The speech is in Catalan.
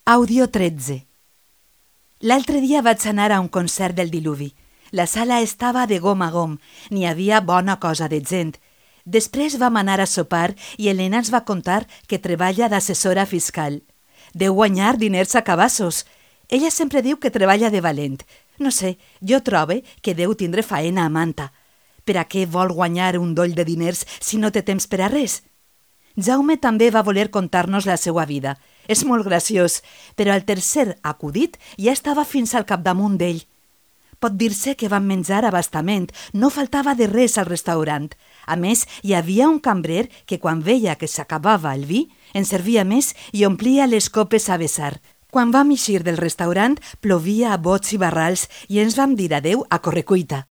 Àudio 13. L'altre dia vaig anar a un concert del Diluvi. La sala estava de gom a gom, n'hi havia bona cosa de gent. Després vam anar a sopar i Helena ens va contar que treballa d'assessora fiscal. Deu guanyar diners a cabassos. Ella sempre diu que treballa de valent. No sé, jo trobe que deu tindre faena a manta. Per a què vol guanyar un doll de diners si no té temps per a res? Jaume també va voler contar-nos la seva vida. És molt graciós, però al tercer acudit ja estava fins al capdamunt d'ell. Pot dir-se que vam menjar a bastament, no faltava de res al restaurant. A més, hi havia un cambrer que quan veia que s'acabava el vi, en servia més i omplia les copes a vessar. Quan vam eixir del restaurant, plovia a bots i barrals i ens vam dir adeu a correcuita.